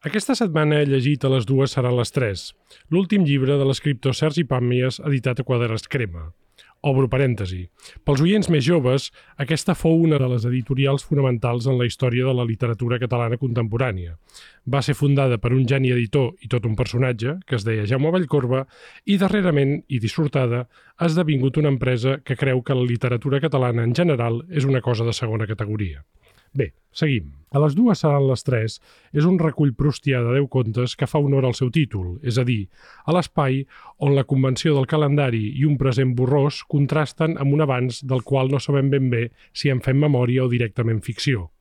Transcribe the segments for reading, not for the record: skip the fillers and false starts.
Aquesta setmana he llegit A les dues seran les tres, l'últim llibre de l'escriptor Sergi Pàmies editat a Quadres Crema. Obro parèntesi. Pels oients més joves, aquesta fou una de les editorials fonamentals en la història de la literatura catalana contemporània. Va ser fundada per un geni editor i tot un personatge, que es deia Jaume Vallcorba, i darrerament, i dissortada, ha esdevingut una empresa que creu que la literatura catalana en general és una cosa de segona categoria. Bé, seguim. A les dues seran les tres és un recull proustià de 10 contes que fa honor al seu títol, és a dir, a l'espai on la convenció del calendari i un present borrós contrasten amb un abans del qual no sabem ben bé si en fem memòria o directament ficció.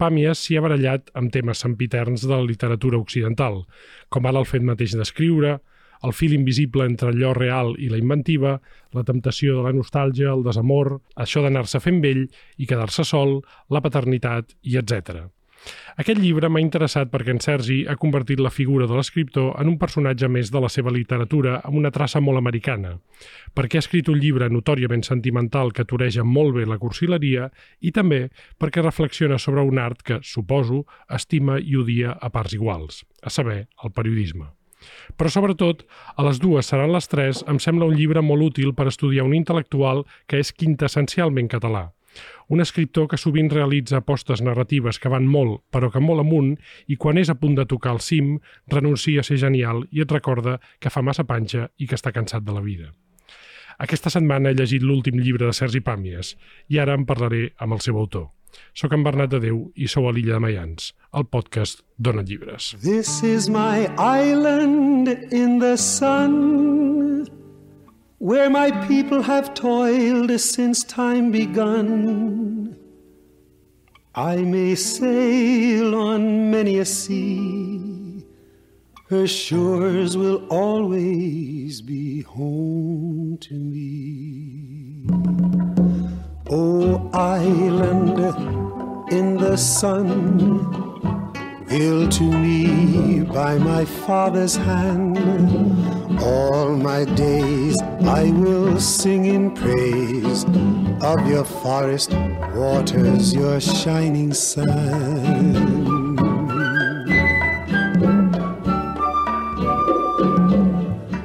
Pàmies s'hi ha barallat amb temes sempiterns de la literatura occidental, com ara el fet mateix d'escriure, el fil invisible entre allò real i la inventiva, la temptació de la nostàlgia, el desamor, això d'anar-se fent vell i quedar-se sol, la paternitat i etc. Aquest llibre m'ha interessat perquè en Sergi ha convertit la figura de l'escriptor en un personatge més de la seva literatura amb una traça molt americana, perquè ha escrit un llibre notòriament sentimental que toreja molt bé la cursileria i també perquè reflexiona sobre un art que, suposo, estima i odia a parts iguals, a saber, el periodisme. Però sobretot, A les dues seran les tres em sembla un llibre molt útil per estudiar un intel·lectual que és quintessencialment català. Un escriptor que sovint realitza apostes narratives que van molt, però que molt amunt, i quan és a punt de tocar el cim, renuncia a ser genial i et recorda que fa massa panxa i que està cansat de la vida. Aquesta setmana he llegit l'últim llibre de Sergi Pàmies i ara en parlaré amb el seu autor. Soc en Bernat de Déu i sou a l'Illa de Maians, el podcast Dona Llibres. This is my island in the sun, where my people have toiled since time begun. I may sail on many a sea, her shores will always be home to me. Oh, island in the sun, built to me by my father's hand, all my days I will sing in praise of your forest waters, your shining sun.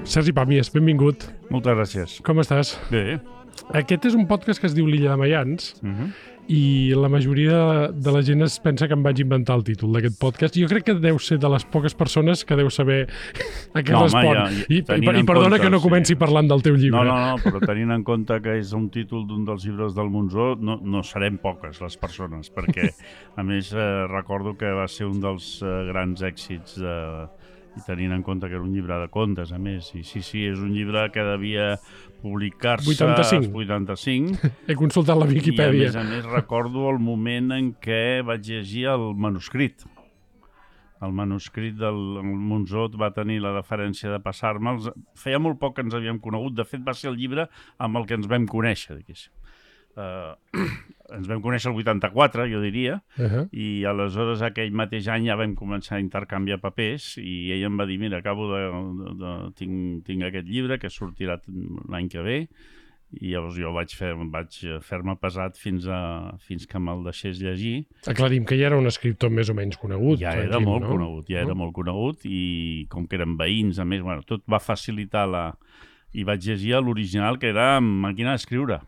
Sergi Pàmies, benvingut. Moltes gràcies. Com estàs? Bé. Aquest és un podcast que es diu L'Illa de Maians i la majoria de la gent es pensa que em vaig inventar el títol d'aquest podcast. Jo crec que deu ser de les poques persones que deu saber a què respon. I perdona que no comenci parlant del teu llibre. No, però tenint en compte que és un títol d'un dels llibres del Monzó, no serem poques les persones, perquè a més recordo que va ser un dels grans èxits i tenint en compte que era un llibre de contes, a més. I sí, és un llibre que devia publicar-se 85. He consultat la Viquipèdia. I a més recordo el moment en què vaig llegir el manuscrit. El manuscrit del Monzó va tenir la deferència de passar-me'ls. Feia molt poc que ens havíem conegut. De fet, va ser el llibre amb el que ens vam conèixer, diguéssim. Ens vam conèixer el 84, jo diria, i aleshores aquell mateix any ja vam començar a intercanviar papers i ell em va dir, mira, tinc aquest llibre que sortirà l'any que ve, i llavors jo vaig fer-me pesat fins que me'l deixés llegir. Aclarim que ja era un escriptor més o menys conegut. Ja era molt conegut i com que eren veïns, a més, tot va facilitar i vaig llegir l'original, que era amb màquina d'escriure.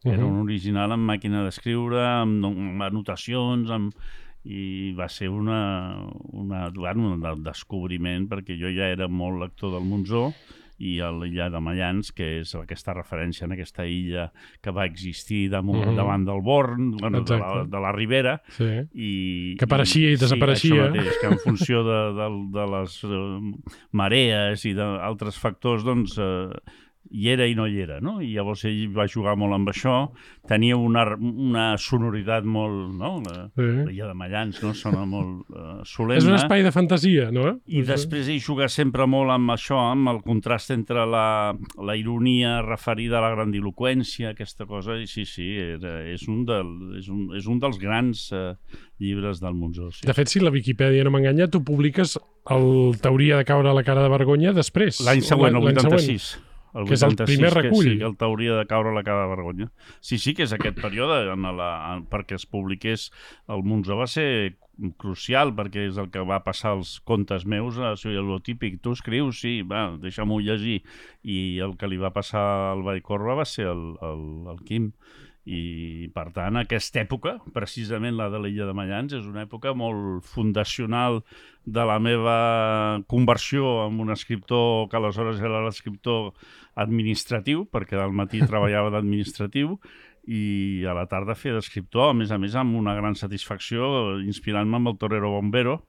Era un original amb màquina d'escriure, amb anotacions, i va ser un descobriment, perquè jo ja era molt lector del Monzó, i a l'illa de Maians, que és aquesta referència en aquesta illa que va existir davant del Born, de la Ribera. Que apareixia i desapareixia. Sí, això mateix, que en funció de les marees i d'altres factors, doncs hi era i no hi era, no? I llavors ell va jugar molt amb això, tenia una sonoritat molt, no? L'illa de Maians, no? Sona molt solemne. És un espai de fantasia, no? I després ell juga sempre molt amb això, amb el contrast entre la ironia referida a la grandiloqüència, aquesta cosa, i sí, és un dels grans llibres del Monzó. De fet, si la Viquipèdia no m'enganya, tu publiques el T'hauria de caure la cara de vergonya després. L'any següent, el 86. Que és el primer recull. Que sí, que el t'hauria de caure la cara de vergonya. Sí, que és aquest període perquè es publiqués el Monzó va ser crucial, perquè és el que va passar als contes meus, això és el típic, tu escrius, sí, va, deixa-m'ho llegir. I el que li va passar al Vallcorba va ser el Quim. I, per tant, aquesta època, precisament la de l'Illa de Mayans, és una època molt fundacional de la meva conversió en un escriptor que aleshores era l'escriptor administratiu, perquè al matí treballava d'administratiu, i a la tarda feia d'escriptor, a més amb una gran satisfacció, inspirant-me amb el Torero Bombero,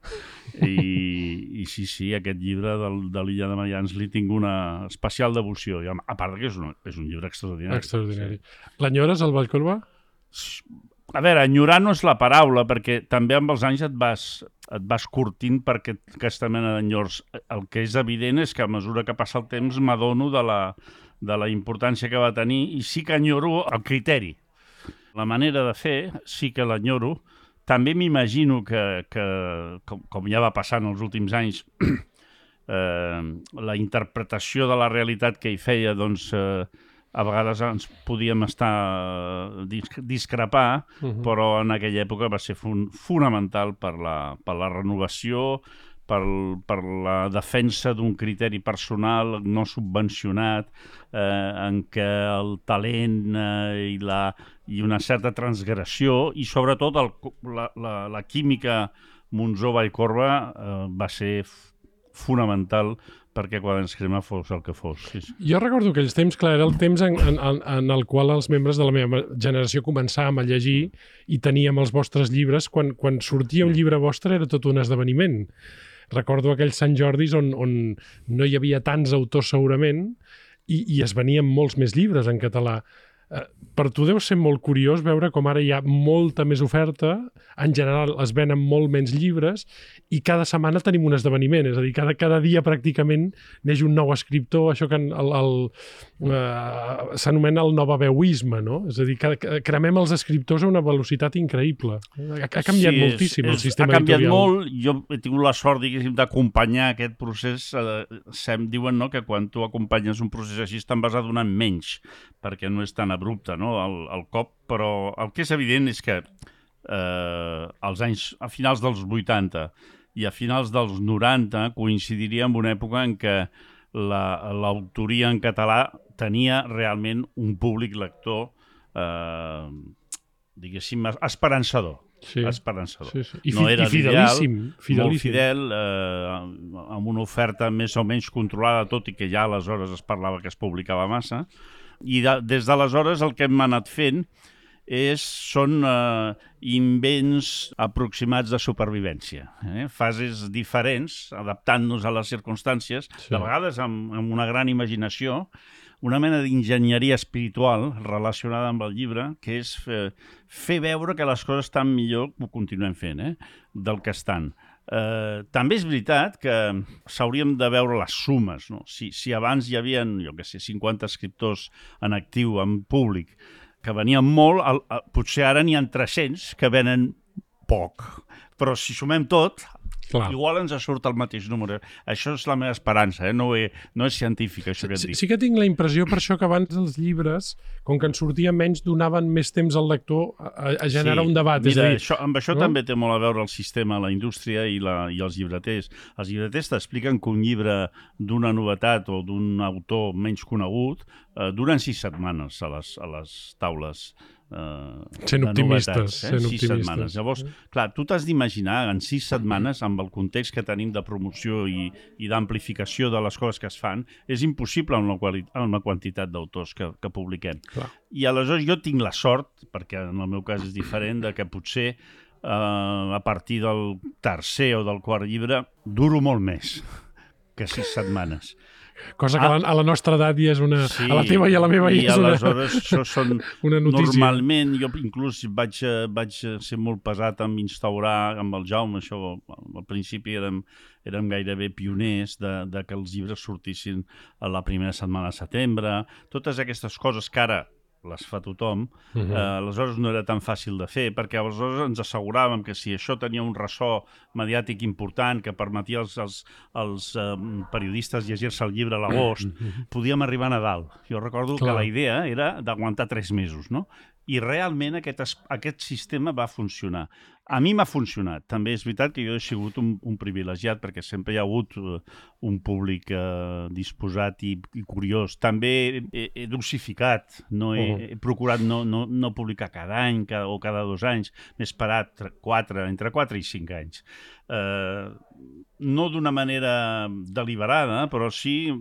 i sí, aquest llibre de l'Illa de Mayans li tinc una especial devoció, i a part que és un llibre extraordinari. Extraordinari. L'enyores, el Vallcorba? A veure, enyorar no és la paraula, perquè també amb els anys et vas curtint per aquesta mena d'enyors. El que és evident és que a mesura que passa el temps m'adono de la importància que va tenir i sí que enyoro el criteri. La manera de fer sí que l'enyoro. També m'imagino que com ja va passar en els últims anys, la interpretació de la realitat que hi feia, doncs, a vegades ens podíem discrepar, però en aquella època va ser fonamental per la renovació, per la defensa d'un criteri personal no subvencionat, en què el talent i una certa transgressió i sobretot la química Monzó-Vallcorba va ser fonamental perquè Quaderns Crema fos el que fos. Sí. Jo recordo aquells temps, clar, era el temps en el qual els membres de la meva generació començàvem a llegir i teníem els vostres llibres. Quan sortia un llibre vostre era tot un esdeveniment. Recordo aquells Sant Jordis on no hi havia tants autors segurament i es venien molts més llibres en català. Per tu deu ser molt curiós veure com ara hi ha molta més oferta, en general es venen molt menys llibres i cada setmana tenim un esdeveniment, és a dir, cada dia pràcticament neix un nou escriptor, això que s'anomena el novaveuisme, no? És a dir, cremem els escriptors a una velocitat increïble. Ha canviat moltíssim el sistema editorial. Ha canviat molt, jo he tingut la sort, diguéssim, d'acompanyar aquest procés. Diuen, no?, que quan tu acompanyes un procés així te'n vas adonant menys, perquè no és tan abrupte, no?, el cop, però el que és evident és que als anys, a finals dels 80 i a finals dels 90 coincidiria amb una època en què l'autoria en català tenia realment un públic lector, diguéssim, esperançador. Sí. Esperançador. Sí. I fidelíssim. Molt fidel, amb una oferta més o menys controlada, tot i que ja aleshores es parlava que es publicava massa. I des d'aleshores el que hem anat fent són invents aproximats de supervivència, fases diferents, adaptant-nos a les circumstàncies, de vegades amb una gran imaginació, una mena d'enginyeria espiritual relacionada amb el llibre, que és fer veure que les coses estan millor, ho continuem fent, del que estan. També és veritat que s'hauríem de veure les sumes, no? Si abans hi havia, jo què sé, 50 escriptors en actiu, en públic, que venien molt, potser ara n'hi ha 300 que venen poc. Però si sumem tot, igual ens surt el mateix número. Això és la meva esperança, no és científic, això que et dic. Sí que tinc la impressió, per això, que abans els llibres, com que en sortia menys, donaven més temps al lector a generar un debat. Mira, amb això també té molt a veure el sistema, la indústria i els llibreters. Els llibreters t'expliquen que un llibre d'una novetat o d'un autor menys conegut duren 6 setmanes a les taules sent optimistes. 6 setmanes. Llavors, clar, tu t'has d'imaginar en 6 setmanes, amb el context que tenim de promoció i d'amplificació de les coses que es fan, és impossible amb la quantitat d'autors que publiquem. Clar. I aleshores jo tinc la sort, perquè en el meu cas és diferent, de que potser a partir del tercer o del quart llibre duro molt més que 6 setmanes. Cosa que a la nostra edat ja és una... Sí, a la teva i a la meva ja és una... I aleshores això són... una notícia. Normalment, jo inclús vaig ser molt pesat en instaurar amb el Jaume, això al principi érem gairebé pioners de que els llibres sortissin a la primera setmana de setembre. Totes aquestes coses que ara les fa tothom, aleshores no era tan fàcil de fer, perquè aleshores ens asseguràvem que si això tenia un ressò mediàtic important que permetia als periodistes llegir-se el llibre a l'agost, podíem arribar a Nadal. Jo recordo que la idea era d'aguantar 3 mesos, no? I realment aquest sistema va funcionar. A mi m'ha funcionat. També és veritat que jo he sigut un privilegiat perquè sempre hi ha hagut un públic disposat i curiós. També he dosificat, he procurat no publicar cada any o cada 2 anys. M'he esperat entre 4 i 5 anys. No d'una manera deliberada, però sí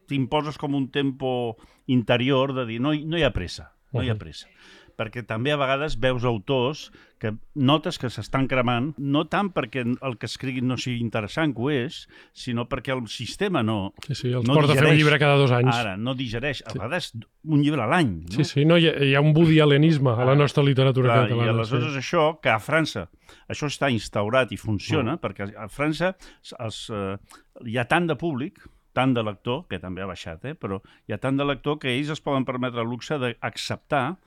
t'imposes com un tempo interior de dir no hi ha pressa, no hi ha pressa. Perquè també a vegades veus autors que notes que s'estan cremant, no tant perquè el que escriguin no sigui interessant, que ho és, sinó perquè el sistema no Sí, els porta a fer un llibre cada 2 anys. Ara, no digereix. A vegades un llibre a l'any. No? Sí, no, hi ha un Woody Allenisme a la nostra literatura catalana. I aleshores això, que a França això està instaurat i funciona, perquè a França hi ha tant de públic, tant de lector, que també ha baixat, però hi ha tant de lector que ells es poden permetre el luxe d'acceptar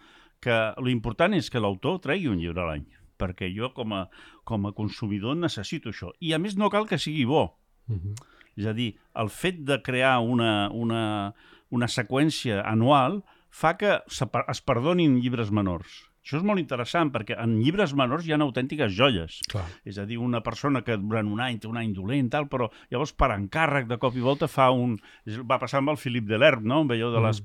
que l'important és que l'autor tregui un llibre a l'any, perquè jo com a consumidor necessito això. I a més no cal que sigui bo. És a dir, el fet de crear una seqüència anual fa que es perdonin llibres menors. Això és molt interessant, perquè en llibres menors hi ha autèntiques joies. Clar. És a dir, una persona que durant un any té un any dolent, però llavors per encàrrec de cop i volta va passar amb el Philippe Delerme, no? Veieu de els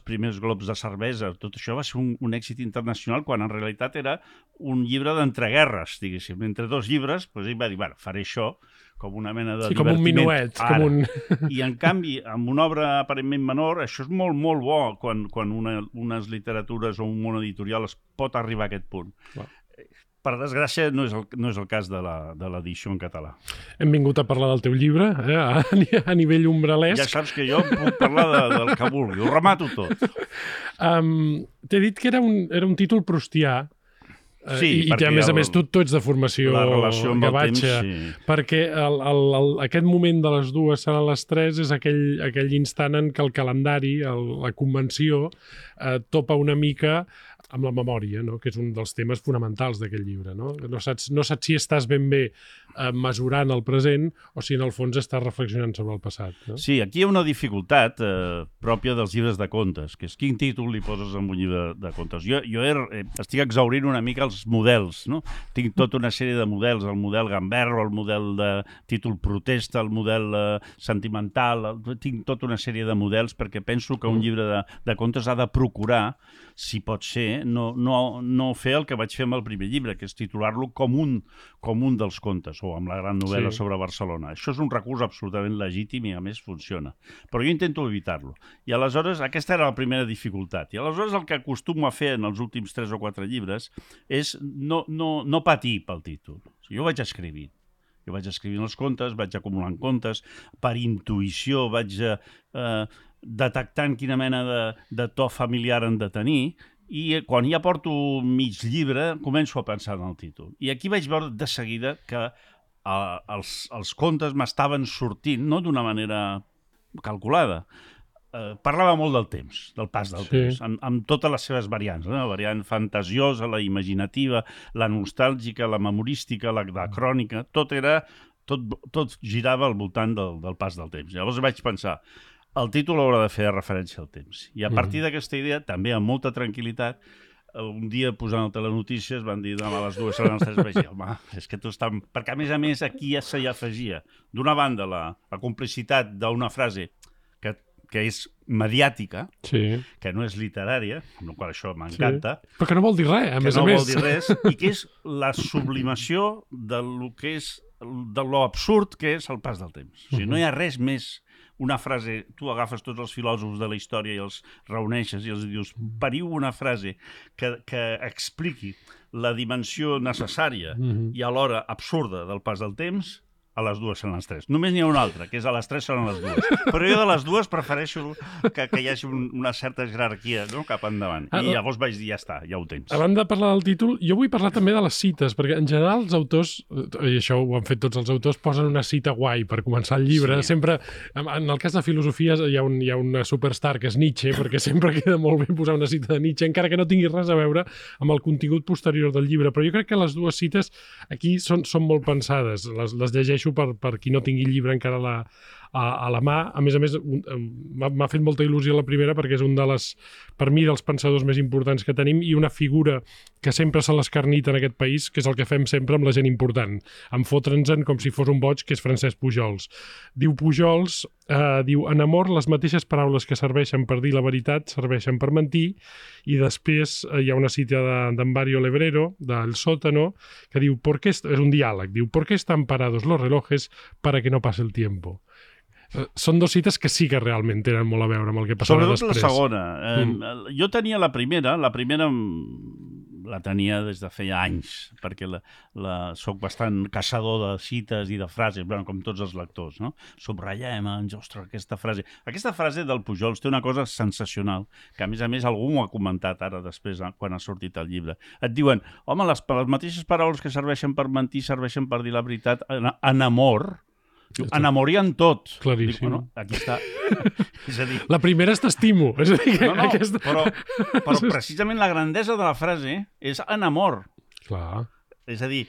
primers globs de cervesa. Tot això va ser un èxit internacional, quan en realitat era un llibre d'entreguerres, diguéssim. Entre 2 llibres, ell va dir, faré això, com una mena de com un minuet. I en canvi, amb una obra aparentment menor, això és molt, molt bo quan unes literatures o un món editorial es pot arribar a aquest punt. Wow. Per desgràcia, no és el cas de l'edició en català. Hem vingut a parlar del teu llibre, a nivell umbralesc. Ja saps que jo puc parlar del que vulgui, ho remato tot. T'he dit que era un títol proustià, sí, i a més tu ets de formació gavatxa, perquè aquest moment de les 2 seran les 3 és aquell instant en què el calendari, la convenció, topa una mica amb la memòria, no? Que és un dels temes fonamentals d'aquest llibre. No saps si estàs ben bé mesurant el present o si en el fons estàs reflexionant sobre el passat. No? Sí, aquí hi ha una dificultat pròpia dels llibres de contes, que és quin títol li poses en un llibre de contes. Jo estic exhaurint una mica els models, no? Tinc tota una sèrie de models, el model gamberro, el model de títol protesta, el model sentimental, tinc tota una sèrie de models perquè penso que un llibre de contes ha de procurar, si pot ser, no fer el que vaig fer amb el primer llibre, que és titular-lo com un dels contes, o amb la gran novel·la sobre Barcelona. Això és un recurs absolutament legítim i a més funciona. Però jo intento evitar-lo. I aleshores aquesta era la primera dificultat. I aleshores el que acostumo a fer en els últims 3 o 4 llibres és no patir pel títol. Jo vaig escrivint. Jo vaig escrivint els contes, vaig acumulant contes, per intuïció vaig detectant quina mena de to familiar han de tenir, i quan ja porto mig llibre començo a pensar en el títol. I aquí vaig veure de seguida que els contes m'estaven sortint, no d'una manera calculada. Parlava molt del temps, del pas del temps, amb totes les seves variants, la variant fantasiosa, la imaginativa, la nostàlgica, la memorística, la crònica, tot girava al voltant del pas del temps. Llavors vaig pensar, el títol haurà de fer referència al temps. I a partir d'aquesta idea, també amb molta tranquil·litat, un dia posant el Telenotícies van dir demà a les 2 seran les 3, vaig dir, home, és que tu estàs... Perquè a més aquí ja s'hi afegia, d'una banda, la complicitat d'una frase que és mediàtica, que no és literària, amb la qual això m'encanta. Però que no vol dir res, a més a més. Que no vol dir res, i que és la sublimació de lo absurd que és el pas del temps. O sigui, no hi ha res més. Una frase, tu agafes tots els filòsofs de la història i els reuneixes i els dius, pariu una frase que expliqui la dimensió necessària i alhora absurda del pas del temps, a les dues són les tres. Només n'hi ha una altra, que és a les tres són les dues. Però jo de les dues prefereixo que hi hagi una certa jerarquia, no?, cap endavant. I llavors vaig dir, ja està, ja ho tens. Abans de parlar del títol, jo vull parlar també de les cites, perquè en general els autors, i això ho han fet tots els autors, posen una cita guai per començar el llibre. Sí. Sempre, en el cas de filosofia hi ha una superstar que és Nietzsche, perquè sempre queda molt bé posar una cita de Nietzsche, encara que no tingui res a veure amb el contingut posterior del llibre. Però jo crec que les dues cites aquí són molt pensades. Les llegeixo per qui no tingui llibre encara a la mà. A més, m'ha fet molta il·lusió la primera perquè és un per mi, dels pensadors més importants que tenim i una figura que sempre se l'escarnita en aquest país, que és el que fem sempre amb la gent important. En fotre'ns-en com si fos un boig, que és Francesc Pujols. Diu Pujols, en amor les mateixes paraules que serveixen per dir la veritat serveixen per mentir, i després hi ha una cita d'en Mario Lebrero, del Sótano, que diu, és un diàleg, diu, ¿por qué están parados los relojes para que no pase el tiempo? Són dues cites que sí que realment tenen molt a veure amb el que passarà després. Sobretot la segona. Jo tenia la primera la tenia des de feia anys, perquè soc bastant caçador de cites i de frases, com tots els lectors, no? Subratllem, ostres, aquesta frase del Pujols té una cosa sensacional, que a més algú m'ho ha comentat ara després, quan ha sortit el llibre. Et diuen, home, les mateixes paraules que serveixen per mentir serveixen per dir la veritat en amor. Enamorien tot. Claríssim. Dic, bueno, aquí està. És a dir... La primera és t'estimo. És a dir, però precisament la grandesa de la frase és en amor. Clar. És a dir...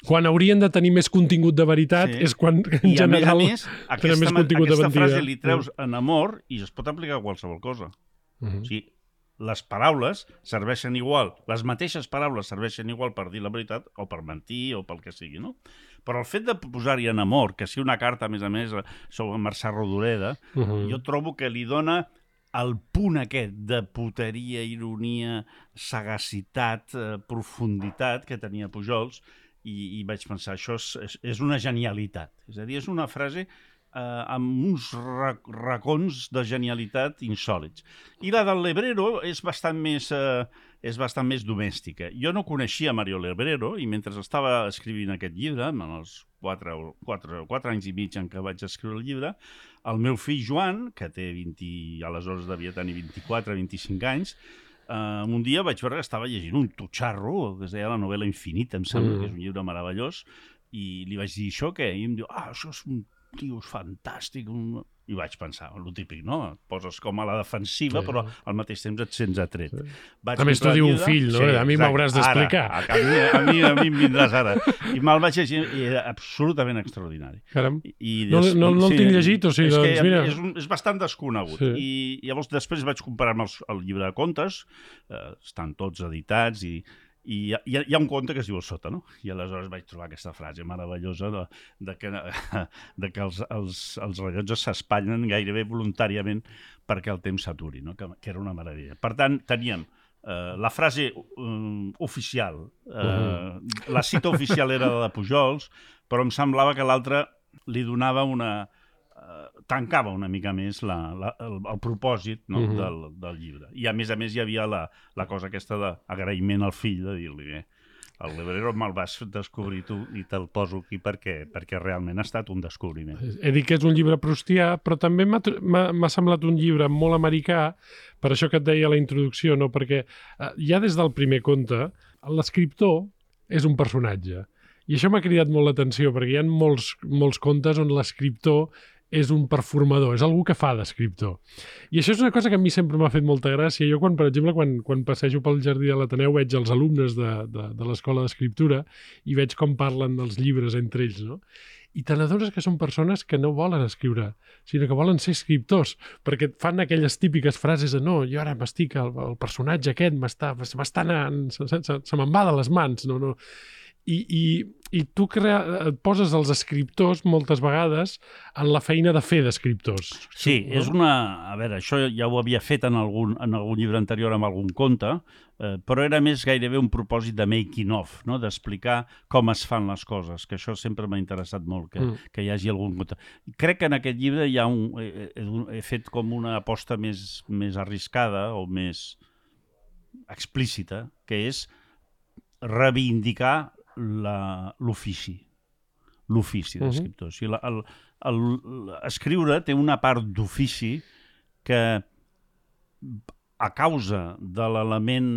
Quan haurien de tenir més contingut de veritat és quan, en general, tenen més contingut de mentida. Aquesta frase li treus en amor i es pot aplicar a qualsevol cosa. O sigui, les paraules serveixen igual, les mateixes paraules serveixen igual per dir la veritat o per mentir o pel que sigui, no? Però el fet de posar-hi en amor, que si una carta, a més, sobre Mercè Rodoreda, jo trobo que li dona el punt aquest de puteria, ironia, sagacitat, profunditat que tenia Pujols, i vaig pensar, això és una genialitat. És a dir, és una frase amb uns racons de genialitat insòlits. I la del Lebrero és bastant més domèstica. Jo no coneixia Mario Lebrero i mentre estava escrivint aquest llibre, en els 4 anys i mig en què vaig escriure el llibre, el meu fill Joan, que té 20, aleshores devia tenir 24-25 anys, un dia vaig veure que estava llegint un tutxarro que es deia La novel·la infinita, em sembla que és un llibre meravellós, i li vaig dir, això què? I em diu, això és un tio fantàstic. I vaig pensar, el típic, no? Et poses com a la defensiva, però al mateix temps et sents atret. A més, t'ho diu un fill, no? A mi m'hauràs d'explicar. A mi em vindràs ara. I me'l vaig llegir i era absolutament extraordinari. Caram, no el tinc llegit, o sigui, doncs mira... És bastant desconegut. I llavors després vaig comparar-me el llibre de contes, estan tots editats i hi ha un conte que es diu El Sòtano, i aleshores vaig trobar aquesta frase meravellosa de que els rellotges s'espatllen gairebé voluntàriament perquè el temps s'aturi, no? Que era una meravella. Per tant, teníem la frase oficial, la cita oficial era la de Pujols, però em semblava que l'altra li donava tancava una mica més el propòsit, no? del llibre. I a més hi havia la cosa aquesta d'agraïment al fill, de dir-li el Lebrero me'l vas descobrir tu i te'l poso aquí perquè realment ha estat un descobriment. He dit que és un llibre proustià, però també m'ha semblat un llibre molt americà, per això que et deia a la introducció, no? Perquè ja des del primer conte l'escriptor és un personatge. I això m'ha cridat molt l'atenció, perquè hi ha molts contes on l'escriptor és un performador, és algú que fa d'escriptor. I això és una cosa que a mi sempre m'ha fet molta gràcia. Jo, per exemple, quan passejo pel jardí de l'Ateneu veig els alumnes de l'escola d'escriptura i veig com parlen dels llibres entre ells, no? I te n'adones que són persones que no volen escriure, sinó que volen ser escriptors, perquè fan aquelles típiques frases de no, jo ara m'estic, el personatge aquest m'està anant, se me'n va de les mans, no. I tu et poses els escriptors moltes vegades en la feina de fer d'escriptors. Sí, és a veure, això ja ho havia fet en algun llibre anterior amb algun conte, però era més gairebé un propòsit de making of, no? D'explicar com es fan les coses, que això sempre m'ha interessat molt, que hi hagi algun conte. Crec que en aquest llibre he fet com una aposta més arriscada o més explícita, que és reivindicar l'ofici. l'ofici d'escriptor. O sigui, escriure té una part d'ofici que, a causa de l'element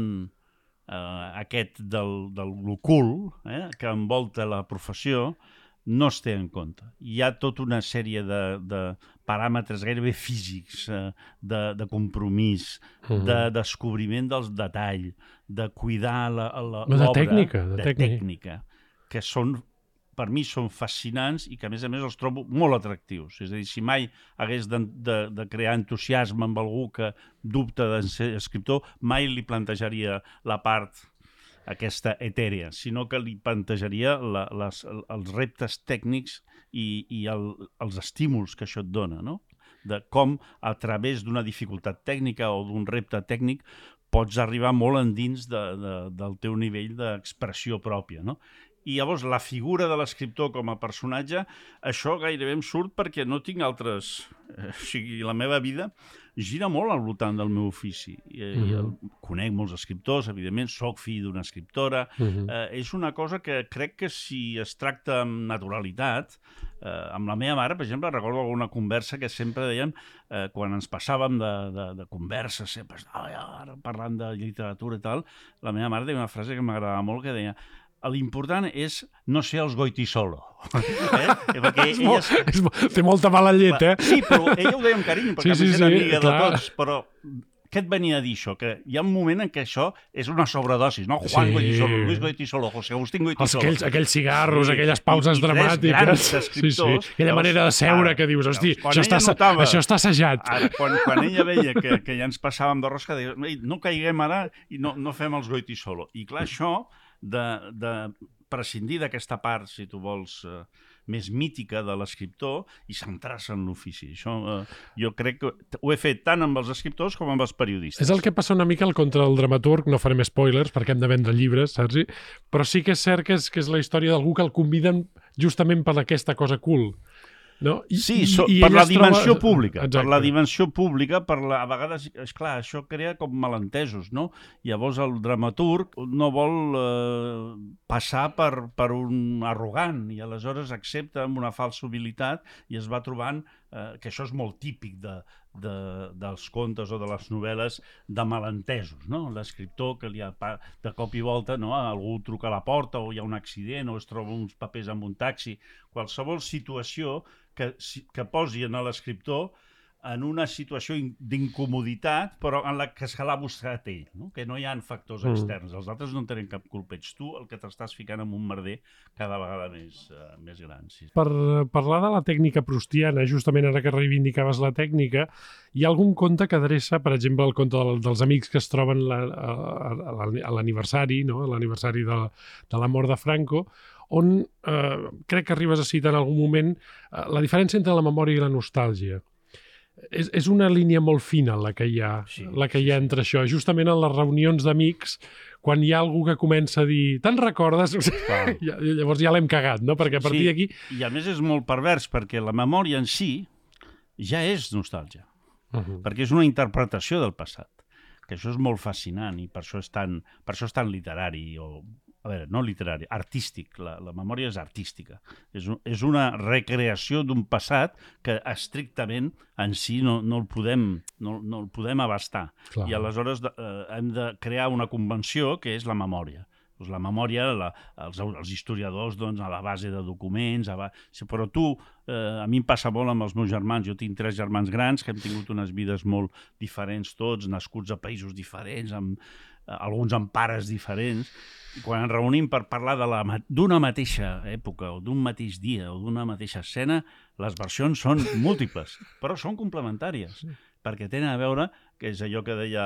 aquest del l'ocult, que envolta la professió, no es té en compte. Hi ha tota una sèrie de paràmetres gairebé físics, de compromís, de descobriment dels detalls, de cuidar l'obra, de tècnica, que per mi són fascinants i que, a més els trobo molt atractius. És a dir, si mai hagués de crear entusiasme amb algú que dubta de ser escriptor, mai li plantejaria la part aquesta etèria, sinó que li plantejaria els reptes tècnics i els estímuls que això et dona, no? De com, a través d'una dificultat tècnica o d'un repte tècnic, pots arribar molt endins del teu nivell d'expressió pròpia, no? I llavors la figura de l'escriptor com a personatge, això gairebé em surt perquè no tinc altres... O sigui, la meva vida gira molt al voltant del meu ofici. Conec molts escriptors, evidentment, soc fill d'una escriptora. És una cosa que crec que si es tracta amb naturalitat, amb la meva mare, per exemple, recordo alguna conversa que sempre dèiem, quan ens passàvem de converses, sempre parlant de literatura i tal, la meva mare deia una frase que m'agradava molt, que deia: l'important és no ser els Goytisolo. Perquè té molta mala llet, Sí, però ella ho deia amb carinyo, perquè és amiga de tots, però què et venia a dir això? Que hi ha un moment en què això és una sobredosis, no? Juan Goytisolo, Luis Goytisolo, José Agustín Goytisolo. Aquells cigarros, aquelles pauses dramàtiques. Grans escriptors. Aquella manera de seure que dius, hosti, això està assajat. Quan ella veia que ja ens passàvem de rosca, deia, no caiguem ara i no fem els Goytisolo. I clar, això de prescindir d'aquesta part, si tu vols, més mítica de l'escriptor i centrar-se en l'ofici. Això jo crec que ho he fet tant amb els escriptors com amb els periodistes. És el que passa una mica al contra del dramaturg, no farem spoilers perquè hem de vendre llibres, saps? Però sí que és cert que és la història d'algú que el conviden justament per aquesta cosa cool. No? Sí, per la dimensió pública. Per la dimensió pública, a vegades, esclar, això crea com malentesos, no? Llavors el dramaturg no vol passar per un arrogant i aleshores accepta amb una falsa humilitat i es va trobant que això és molt típic dels contes o de les novel·les de malentesos, no? L'escriptor que de cop i volta algú truca a la porta o hi ha un accident o es troba uns papers amb un taxi, qualsevol situació que posi a l'escriptor en una situació d'incomoditat, però en la que se l'ha buscat ell, no? Que no hi ha factors externs. Els altres no en tenen cap culpa. Ets tu el que t'estàs ficant en un merder cada vegada més gran. Sí. Per parlar de la tècnica proustiana, justament ara que reivindicaves la tècnica, hi ha algun conte que adreça, per exemple, el conte dels amics que es troben a l'aniversari, no? A l'aniversari de la mort de Franco, on crec que arribes a citar en algun moment la diferència entre la memòria i la nostàlgia. És una línia molt fina la que hi ha entre això. Justament en les reunions d'amics, quan hi ha algú que comença a dir «te'n recordes?» Llavors ja l'hem cagat, no? Perquè a partir d'aquí... I a més és molt pervers, perquè la memòria en si ja és nostàlgia. Perquè és una interpretació del passat. Que això és molt fascinant i per això és tan literari a veure, no literari, artístic. La memòria és artística. És una recreació d'un passat que estrictament en si no el podem abastar. Clar. I aleshores hem de crear una convenció que és la memòria. La memòria, els historiadors, a la base de documents, però a mi em passa molt amb els meus germans. Jo tinc 3 germans grans que hem tingut unes vides molt diferents tots, nascuts a països diferents, alguns amb pares diferents, i quan ens reunim per parlar d'una mateixa època o d'un mateix dia o d'una mateixa escena, les versions són múltiples, però són complementàries. Perquè tenen a veure, que és allò que deia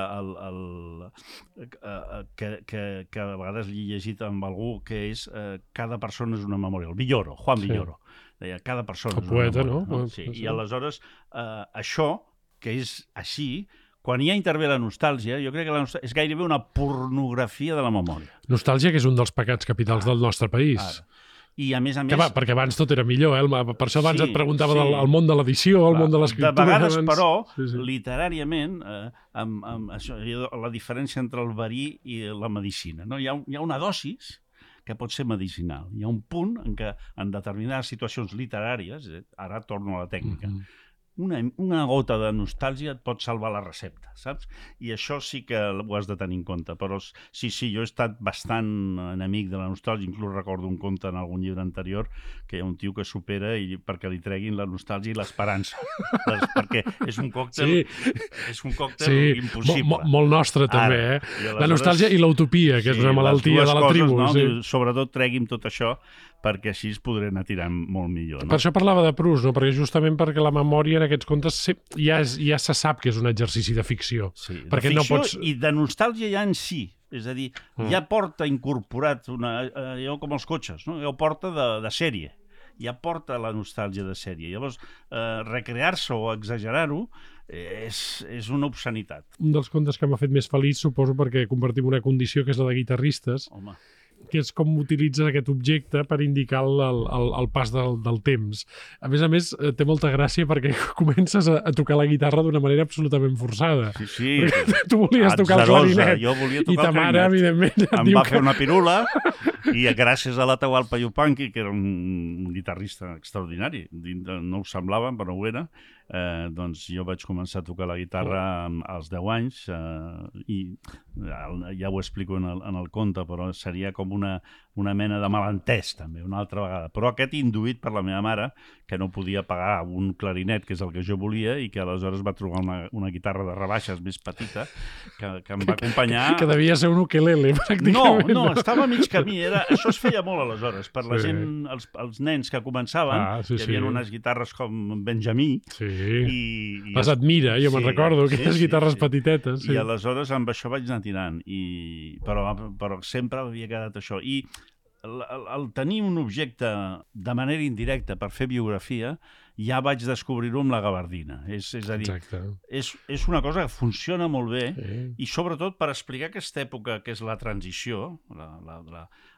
que a vegades he llegit amb algú, que és cada persona és una memòria. El Villoro, Juan Villoro, deia cada persona és una memòria. No? Sí. I aleshores això, que és així, quan ja intervé la nostàlgia, jo crec que la nostàlgia és gairebé una pornografia de la memòria. Nostàlgia, que és un dels pecats capitals del nostre país. I a més... perquè abans tot era millor, per això abans et preguntava del món de l'edició, el món de l'escriptura... De vegades, però, literàriament, la diferència entre el verí i la medicina. Hi ha una dosis que pot ser medicinal. Hi ha un punt en què en determinades situacions literàries, ara torno a la tècnica, una gota de nostàlgia et pot salvar la recepta, saps? I això sí que ho has de tenir en compte. Però sí, jo he estat bastant enemic de la nostàlgia. Inclús recordo un conte en algun llibre anterior que hi ha un tio que supera perquè li treguin la nostàlgia i l'esperança. Perquè és un còctel, impossible. Molt nostre, també, La nostàlgia i l'utopia, que és una malaltia de la tribu. No? Sobretot tregui'm tot això, perquè així es podré anar tirant molt millor. No? Per això parlava de Proust, no? Perquè justament perquè la memòria en aquests contes ja se sap que és un exercici de ficció. Sí, perquè de ficció no pots... i de nostàlgia ja en si. És a dir, ja porta incorporat allò com els cotxes, no? Ja ho porta de sèrie. Ja porta la nostàlgia de sèrie. Llavors, recrear-se o exagerar-ho és una obscenitat. Un dels contes que m'ha fet més feliç, suposo, perquè compartim una condició que és la de guitarristes, Home, que és com utilitzes aquest objecte per indicar el pas del temps. A més, té molta gràcia perquè comences a tocar la guitarra d'una manera absolutament forçada. Sí. Tu volies tocar el clarinet. Jo volia tocar i ta mare, evidentment, em va fer una pirula i gràcies a l'Atahualpa Yupanqui, que era un guitarrista extraordinari, no ho semblava, però ho era, doncs jo vaig començar a tocar la guitarra als 10 anys i ja ho explico en el conte, però seria com una mena de malentès també, una altra vegada. Però aquest induït per la meva mare, que no podia pagar un clarinet, que és el que jo volia, i que aleshores va trobar una guitarra de rebaixes més petita, que em va acompanyar... Que devia ser un ukelele, pràcticament. No, estava a mig camí. Això es feia molt aleshores. Per la gent, els nens que començaven, hi havia unes guitarres com Benjamí, les Admira, jo me'n recordo, aquelles guitarres petitetes. I aleshores amb això vaig anar tirant, però sempre havia quedat això. I el tenir un objecte de manera indirecta per fer biografia, ja vaig descobrir-ho amb la gabardina. És a dir, és una cosa que funciona molt bé i sobretot per explicar aquesta època que és la transició,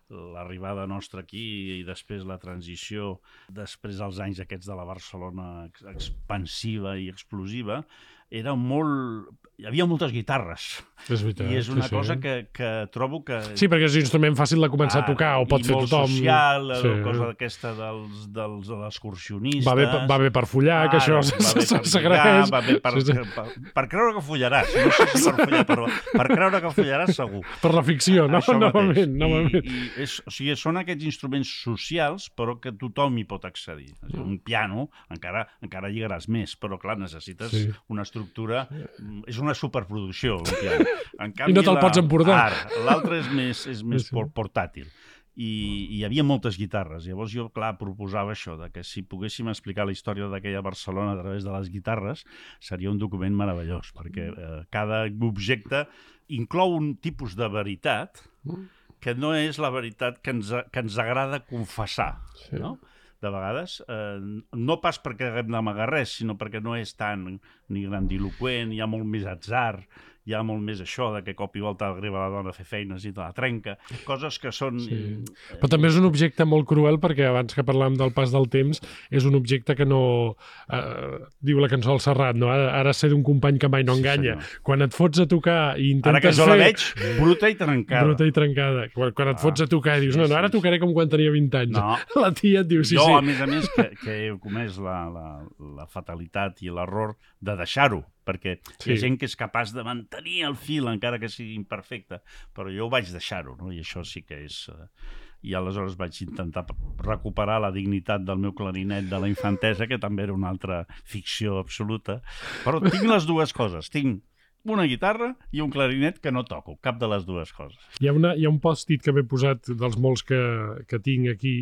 l'arribada nostra aquí i després la transició, després dels anys aquests de la Barcelona expansiva i explosiva, era molt... Hi havia moltes guitarres. És veritat. I és una cosa que trobo que... Sí, perquè és un instrument fàcil de començar a tocar, o pot fer tothom. I molt social, la cosa aquesta de l'excursionista. Va bé per follar, que això s'agraeix. Va bé per creure que follaràs. No sé si per follar, però per creure que follaràs segur. Per la ficció, novament. O sigui, són aquests instruments socials, però que tothom hi pot accedir. Un piano, encara lligaràs més, però clar, necessites una estructura... És una superproducció, un piano. En canvi, I no te'l pots emportar. L'altre és més portàtil. I hi havia moltes guitarres. Llavors jo, clar, proposava això, que si poguéssim explicar la història d'aquella Barcelona a través de les guitarres, seria un document meravellós, perquè cada objecte inclou un tipus de veritat que no és la veritat que ens agrada confessar, no? De vegades, no pas perquè haguem d'amagar res, sinó perquè no és tan ni grandiloqüent, hi ha molt més atzar, hi ha molt més això de que cop i volta arriba la dona a fer feines i te la trenca, coses que són... Però també és un objecte molt cruel perquè abans que parlàvem del pas del temps és un objecte que no... diu la cançó del Serrat, no? Ara sé d'un company que mai no enganya. Quan et fots a tocar i intentes fer... Ara que jo la veig, bruta i trencada. Bruta i trencada. Quan et fots a tocar i dius, no, ara tocaré com quan tenia 20 anys. No. La tia et diu, sí. Jo, a més, que he comès la fatalitat i l'error de deixar-ho, perquè hi ha gent que és capaç de mantenir el fil encara que sigui imperfecte, però jo ho vaig deixar-ho, no? I això sí que és... I aleshores vaig intentar recuperar la dignitat del meu clarinet de la infantesa, que també era una altra ficció absoluta, però tinc les dues coses, tinc una guitarra i un clarinet que no toco, cap de les dues coses. Hi ha un post-it que m'he posat dels molts que tinc aquí,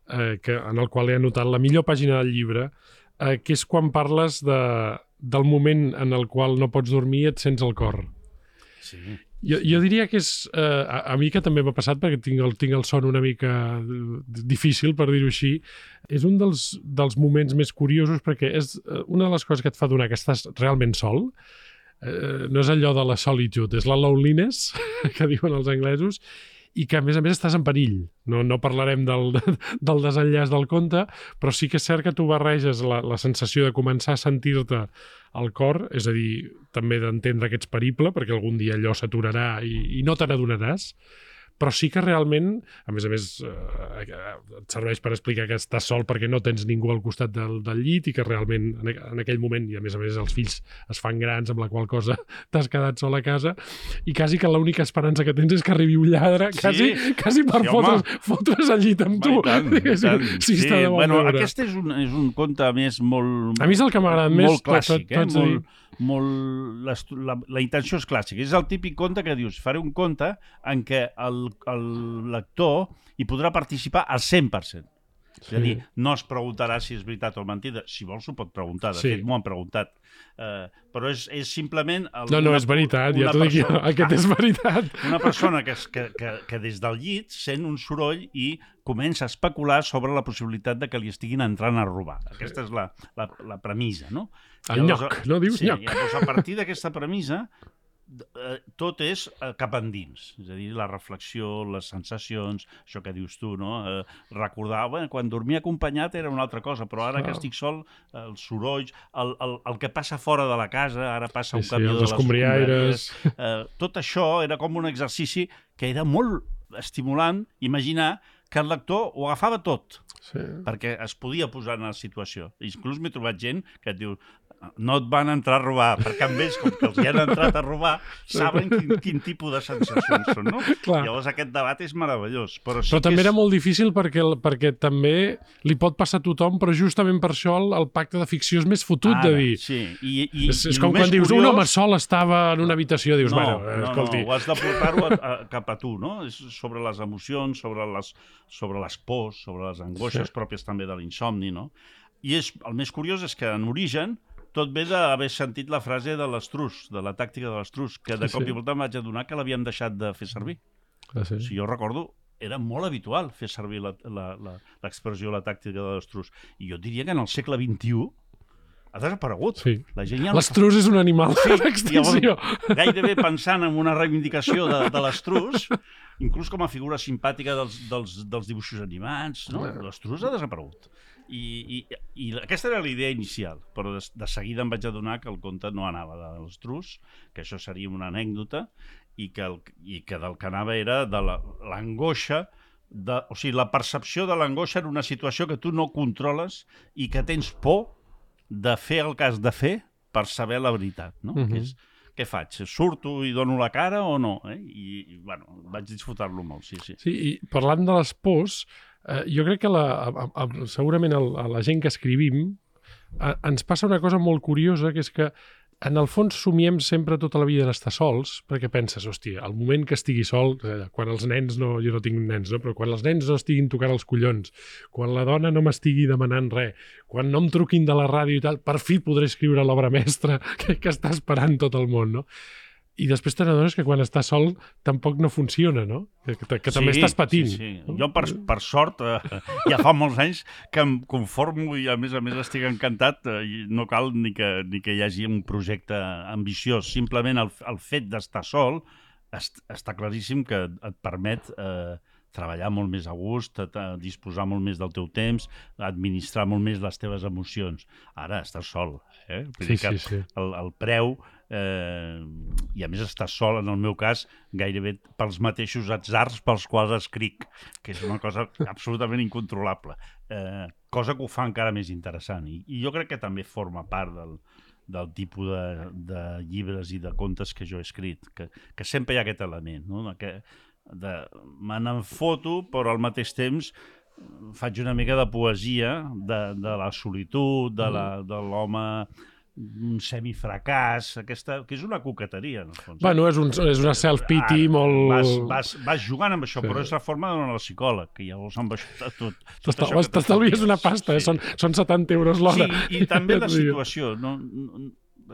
en el qual he anotat la millor pàgina del llibre, que és quan parles del moment en el qual no pots dormir i et sents el cor. Sí. Jo diria que és... a mi que també m'ha passat, perquè tinc el son una mica difícil, per dir-ho així, és un dels moments més curiosos, perquè és una de les coses que et fa donar que estàs realment sol. No és allò de la solitude, és la loneliness, que diuen els anglesos, i que, a més estàs en perill. No parlarem del desenllaç del conte, però sí que és cert que tu barreges la sensació de començar a sentir-te al cor, és a dir, també d'entendre que ets perible, perquè algun dia allò s'aturarà i no te n'adonaràs, però sí que realment, a més, et serveix per explicar que estàs sol perquè no tens ningú al costat del llit i que realment en aquell moment, i a més els fills es fan grans, amb la qual cosa t'has quedat sol a casa, i quasi que l'única esperança que tens és que arribi un lladre, quasi per fotre's al llit amb tu. Aquest és un conte, a més, molt... A mi és el que m'ha agradat més. Molt clàssic, la intenció és clàssica. És el típic conte que dius, faré un conte en què el lector hi podrà participar al 100%. És a dir, no es preguntarà si és veritat o mentida. Si vols ho pot preguntar, de fet m'ho han preguntat. Però és simplement... No, és veritat, ja t'ho dic jo, aquest és veritat. Una persona que des del llit sent un soroll i comença a especular sobre la possibilitat de que li estiguin entrant a robar. Aquesta és la premissa, no? El nyoc, no dius nyoc? Llavors, a partir d'aquesta premissa, tot és cap endins, és a dir, la reflexió, les sensacions, això que dius tu, no? Recordar, quan dormia acompanyat era una altra cosa, però ara que estic sol, els sorolls, el que passa fora de la casa, ara passa un camió de les escombriaires. Tot això era com un exercici que era molt estimulant imaginar que el lector ho agafava tot, perquè es podia posar en la situació. Inclús m'he trobat gent que et diu no et van entrar a robar, perquè amb ells, com que els hi han entrat a robar, saben quin tipus de sensacions són, no? Llavors aquest debat és meravellós. Però també era molt difícil perquè també li pot passar a tothom, però justament per això el pacte de ficció és més fotut de dir. Sí, és com quan dius, un home sol estava en una habitació, dius, escolti... No, ho has de portar-ho cap a tu, no? És sobre les emocions, sobre les pors, sobre les angoixes pròpies també de l'insomni, no? I el més curiós és que en origen tot ve d'haver sentit la frase de l'estrus, de la tàctica de l'estrus, que de cop i volta em vaig adonar que l'havíem deixat de fer servir. Si jo recordo, era molt habitual fer servir l'expressió, la tàctica de l'estrus. I jo diria que en el segle XXI ha desaparegut. L'estrus és un animal d'extinció. Gairebé pensant en una reivindicació de l'estrus, inclús com a figura simpàtica dels dibuixos animats, l'estrus ha desaparegut. I aquesta era la idea inicial, però de seguida em vaig adonar que el conte no anava de l'estrus, que això seria una anècdota, i que del que anava era de l'angoixa, o sigui, la percepció de l'angoixa en una situació que tu no controles i que tens por de fer el que has de fer per saber la veritat, no? Que és, què faig? Surto i dono la cara o no? I bueno, vaig disfrutar-lo molt, sí. Sí, i parlant de les pors, jo crec que segurament a la gent que escrivim ens passa una cosa molt curiosa, que és que en el fons somiem sempre tota la vida d'estar sols, perquè penses, hòstia, el moment que estigui sol, quan els nens no... Jo no tinc nens, no? Però quan els nens no estiguin tocant els collons, quan la dona no m'estigui demanant res, quan no em truquin de la ràdio i tal, per fi podré escriure l'obra mestra que està esperant tot el món, no? I després te n'adones que quan estàs sol tampoc no funciona, no? Que també estàs patint. Sí. Jo, per sort, ja fa molts anys que em conformo i, a més estic encantat. No cal ni que hi hagi un projecte ambiciós. Simplement el fet d'estar sol està claríssim que et permet treballar molt més a gust, disposar molt més del teu temps, administrar molt més les teves emocions. Ara estàs sol. El preu... I a més estàs sol, en el meu cas, gairebé pels mateixos atzars pels quals escric, que és una cosa absolutament incontrolable. Cosa que ho fa encara més interessant. I jo crec que també forma part del tipus de llibres i de contes que jo he escrit, que sempre hi ha aquest element, no? Me n'enfoto, però al mateix temps faig una mica de poesia de la solitud, de l'home... un semifracàs, que és una coqueteria, en el fons. Bueno, és una self-pity molt... Vas jugant amb això, però és la forma de donar al psicòleg, que llavors amb això tot... T'estalvies una pasta, són 70 euros l'hora. Sí, i també la situació.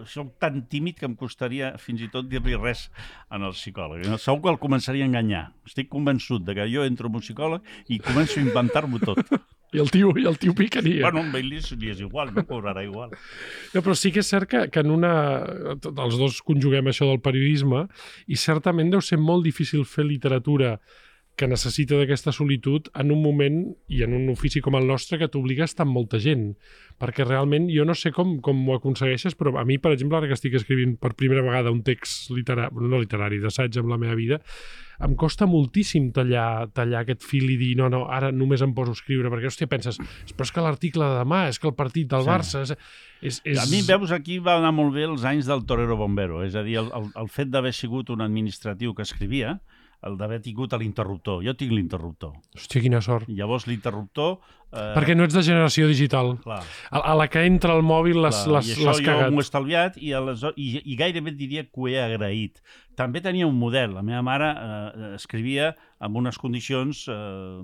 Soc tan tímid que em costaria fins i tot dir-li res al psicòleg. Segur que el començaria a enganyar. Estic convençut que jo entro en un psicòleg i començo a inventar-m'ho tot. I el tio picaria. Bueno, amb ell li és igual, no cobrarà igual. No, però sí que és cert que els dos conjuguem això del periodisme i certament deu ser molt difícil fer literatura que necessita d'aquesta solitud en un moment i en un ofici com el nostre que t'obliga a estar amb molta gent. Perquè realment jo no sé com ho aconsegueixes, però a mi, per exemple, ara que estic escrivint per primera vegada un text no literari, d'assaig amb la meva vida, em costa moltíssim tallar aquest fil i dir no, ara només em poso a escriure, perquè, hòstia, penses, però és que l'article de demà, és que el partit del Barça... A mi, veus, aquí va anar molt bé els anys del torero bombero, és a dir, el fet d'haver sigut un administratiu que escrivia, el d'haver tingut l'interruptor. Jo tinc l'interruptor. Hòstia, quina sort. Llavors l'interruptor... Perquè no ets de generació digital. Clar. A la que entra al mòbil l'has cagat. I això jo m'ho he estalviat i gairebé diria que ho he agraït. També tenia un model. La meva mare escrivia amb unes condicions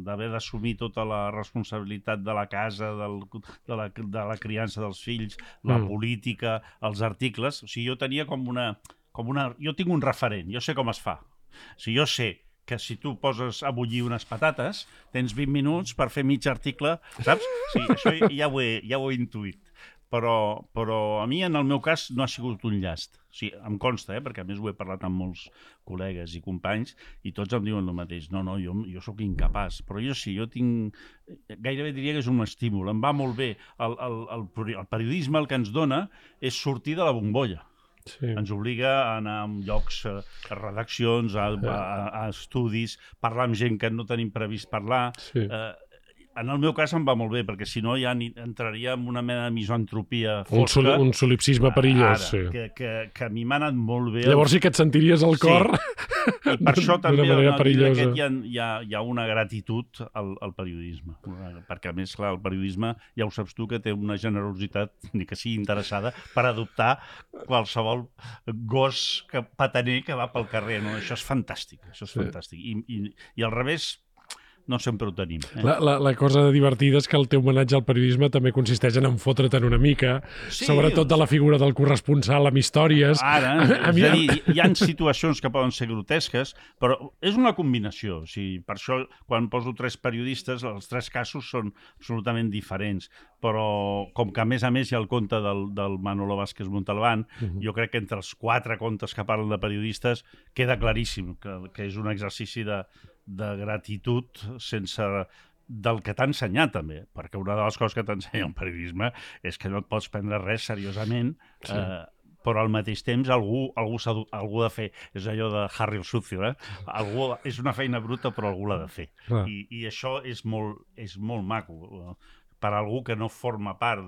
d'haver d'assumir tota la responsabilitat de la casa, de la criança dels fills, la política, els articles. O sigui, jo tenia jo tinc un referent, jo sé com es fa. O sigui, jo sé que si tu poses a bullir unes patates, tens 20 minuts per fer mig article, saps? Sí, això ja ho he intuït. Però a mi, en el meu cas, no ha sigut un llast. O sigui, em consta, perquè a més ho he parlat amb molts col·legues i companys, i tots em diuen el mateix. No, jo sóc incapaç. Però jo sí, jo tinc... Gairebé diria que és un estímul. Em va molt bé. El periodisme el que ens dona és sortir de la bombolla. Sí. Ens obliga a anar a llocs, a redaccions, a estudis, parlar amb gent que no tenim previst parlar. Sí. En el meu cas em va molt bé, perquè si no ja entraria en una mena de misantropia fosca. Un solipsisme perillós. Ara, sí. que a mi m'ha anat molt bé. Llavors sí que et sentiries al cor. Sí. I per això també hi ha una gratitud al periodisme. Perquè a més, clar, el periodisme, ja ho saps tu, que té una generositat, ni que sigui interessada, per adoptar qualsevol gos pataner que va pel carrer. No? Això és fantàstic. Això és fantàstic. I al revés, no sempre ho tenim. La cosa divertida és que el teu homenatge al periodisme també consisteix en enfotre't una mica, sobretot de la figura del corresponsal amb històries. Ara, és a dir, hi ha situacions que poden ser grotesques, però és una combinació. O sigui, per això, quan poso 3 periodistes, els 3 casos són absolutament diferents. Però, com que a més hi ha el conte del Manolo Vázquez Montalbán, jo crec que entre els 4 contes que parlen de periodistes queda claríssim que és un exercici de gratitud del que t'ha ensenyat també, perquè una de les coses que t'ensenya el periodisme és que no et pots prendre res seriosament, però al mateix temps algú ha de fer. És allò de Harry el Sucio, és una feina bruta però algú l'ha de fer. I això és molt maco per a algú que no forma part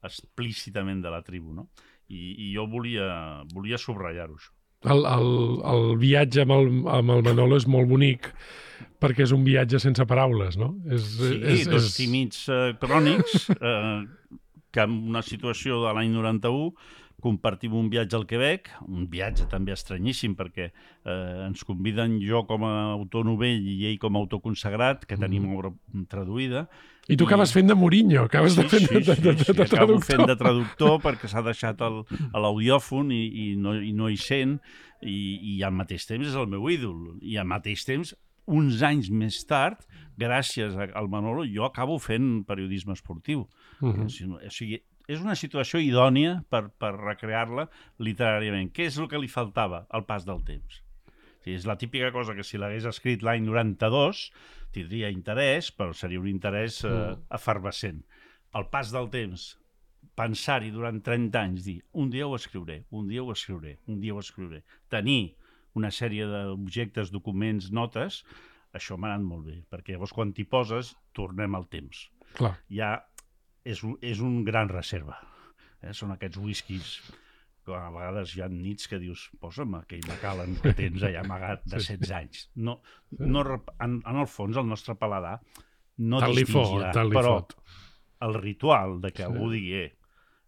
explícitament de la tribu, no? I jo volia subratllar-ho, això. El viatge amb el Manolo és molt bonic perquè és un viatge sense paraules, no? Dos tímids crònics que en una situació de l'any 91 compartim un viatge al Quebec, un viatge també estranyíssim perquè ens conviden jo com a autor novell i ell com a autor consagrat, que tenim obra traduïda. I tu acabes fent de Mourinho, acabes de fent de traductor. Acabo fent de traductor perquè s'ha deixat a l'audiòfon i no hi sent, i al mateix temps és el meu ídol. I al mateix temps, uns anys més tard, gràcies al Manolo, jo acabo fent periodisme esportiu. O sigui, és una situació idònia per recrear-la literàriament. Què és el que li faltava al pas del temps? És la típica cosa que si l'hagués escrit l'any 92 tindria interès, però seria un interès efervescent. Al pas del temps, pensar-hi durant 30 anys, dir un dia ho escriuré, un dia ho escriuré, un dia ho escriuré. Tenir una sèrie d'objectes, documents, notes, això m'ha anat molt bé, perquè llavors quan t'hi poses tornem al temps. Clar. Ja és un gran reserva. Són aquests whiskies que a vegades hi ha nits que dius posa'm aquell Macallan que tens allà amagat de 16 anys. En el fons el nostre paladar no distingirà, però el ritual de que algú digui